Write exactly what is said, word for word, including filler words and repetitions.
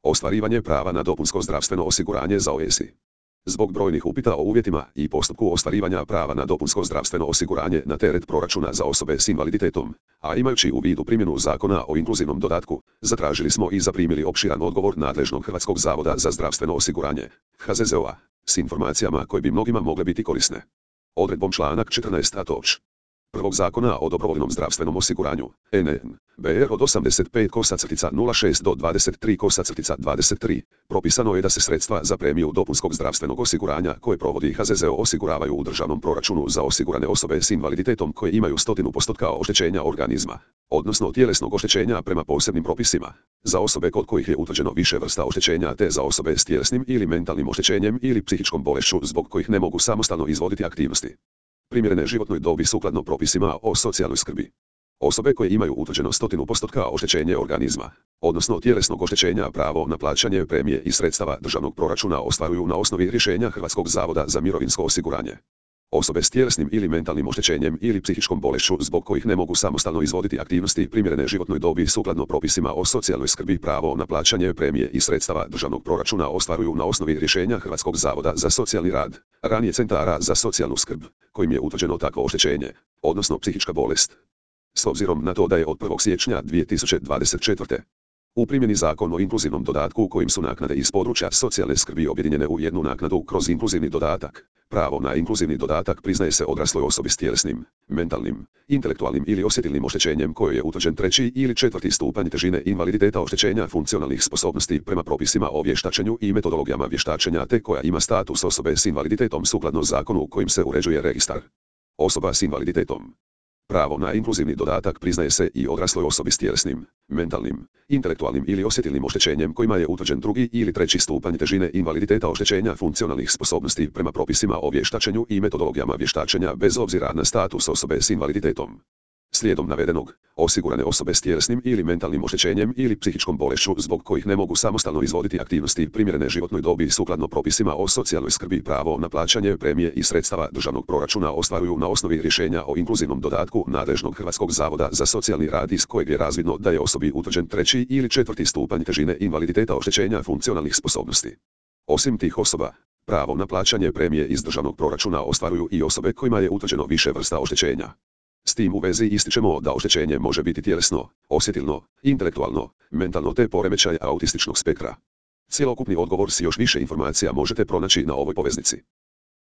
Ostvarivanje prava na dopunsko zdravstveno osiguranje za O S I. Zbog brojnih upita o uvjetima i postupku ostvarivanja prava na dopunsko zdravstveno osiguranje na teret proračuna za osobe s invaliditetom, a imajući u vidu primjenu Zakona o inkluzivnom dodatku, zatražili smo i zaprimili opširan odgovor nadležnog Hrvatskog zavoda za zdravstveno osiguranje, H Z Z O-a, s informacijama koje bi mnogima mogle biti korisne. Odredbom članak četrnaest a toč. Prvog Zakona o dobrovoljnom zdravstvenom osiguranju, N N B R od osamdeset pet nula šest do dvadeset tri dvadeset tri, propisano je da se sredstva za premiju dopunskog zdravstvenog osiguranja koje provodi H Z Z O osiguravaju u državnom proračunu za osigurane osobe s invaliditetom koje imaju stotinu postotka oštećenja organizma, odnosno tjelesnog oštećenja prema posebnim propisima, za osobe kod kojih je utvrđeno više vrsta oštećenja te za osobe s tjelesnim ili mentalnim oštećenjem ili psihičkom bolešću zbog kojih ne mogu samostalno izvoditi aktivnosti primjerene životnoj dobi sukladno propisima o socijalnoj skrbi. Osobe koje imaju utvrđeno stotinu postotka oštećenje organizma, odnosno tjelesnog oštećenja, pravo na plaćanje premije i sredstava državnog proračuna ostvaruju na osnovi rješenja Hrvatskog zavoda za mirovinsko osiguranje. Osobe s tjelesnim ili mentalnim oštećenjem ili psihičkom bolešću zbog kojih ne mogu samostalno izvoditi aktivnosti primjerene životnoj dobi sukladno propisima o socijalnoj skrbi pravo na plaćanje premije i sredstava državnog proračuna ostvaruju na osnovi rješenja Hrvatskog zavoda za socijalni rad, ranije centara za socijalnu skrb, kojim je utvrđeno takvo oštećenje, odnosno psihička bolest. S obzirom na to da je od prvog siječnja dvije tisuće dvadeset četvrte. u primjeni Zakon o inkluzivnom dodatku kojim su naknade iz područja socijalne skrbi objedinjene u jednu naknadu kroz inkluzivni dodatak, pravo na inkluzivni dodatak priznaje se odrasloj osobi s tjelesnim, mentalnim, intelektualnim ili osjetilnim oštećenjem kojoj je utvrđen treći ili četvrti stupanj težine invaliditeta oštećenja funkcionalnih sposobnosti prema propisima o vještačenju i metodologijama vještačenja te koja ima status osobe s invaliditetom sukladno zakonu kojim se uređuje registar osoba s invaliditetom. Pravo na inkluzivni dodatak priznaje se i odrasloj osobi s tjelesnim, mentalnim, intelektualnim ili osjetilnim oštećenjem kojima je utvrđen drugi ili treći stupanj težine invaliditeta oštećenja funkcionalnih sposobnosti prema propisima o vještačenju i metodologijama vještačenja bez obzira na status osobe s invaliditetom. Slijedom navedenog, osigurane osobe s tjelesnim ili mentalnim oštećenjem ili psihičkom bolešću zbog kojih ne mogu samostalno izvoditi aktivnosti primjerene životnoj dobi sukladno propisima o socijalnoj skrbi pravo na plaćanje premije i sredstava državnog proračuna ostvaruju na osnovi rješenja o inkluzivnom dodatku nadležnog Hrvatskog zavoda za socijalni rad iz kojeg je razvidno da je osobi utvrđen treći ili četvrti stupanj težine invaliditeta oštećenja funkcionalnih sposobnosti. Osim tih osoba, pravo na plaćanje premije iz državnog proračuna ostvaruju i osobe kojima je utvrđeno više vrsta oštećenja. S tim u vezi ističemo da oštećenje može biti tjelesno, osjetilno, intelektualno, mentalno te poremećaj autističnog spektra. Cjelokupni odgovor s još više informacija možete pronaći na ovoj poveznici.